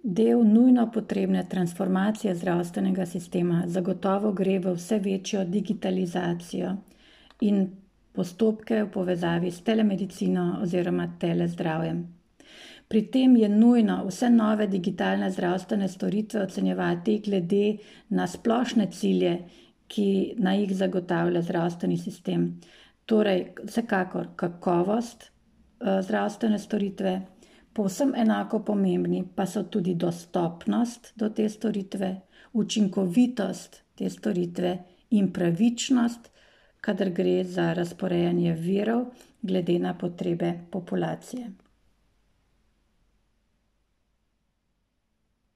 Del nujno potrebne transformacije zdravstvenega sistema zagotovo gre v vse večjo digitalizacijo in postopke v povezavi s telemedicino oziroma telezdravjem. Pri tem je nujno vse nove digitalne zdravstvene storitve ocenjevati glede na splošne cilje, ki naj jih zagotavlja zdravstveni sistem. Torej, vsekakor kakovost zdravstvene storitve, povsem enako pomembni pa so tudi dostopnost do te storitve, učinkovitost te storitve in pravičnost, kadar gre za razporejanje virov glede na potrebe populacije.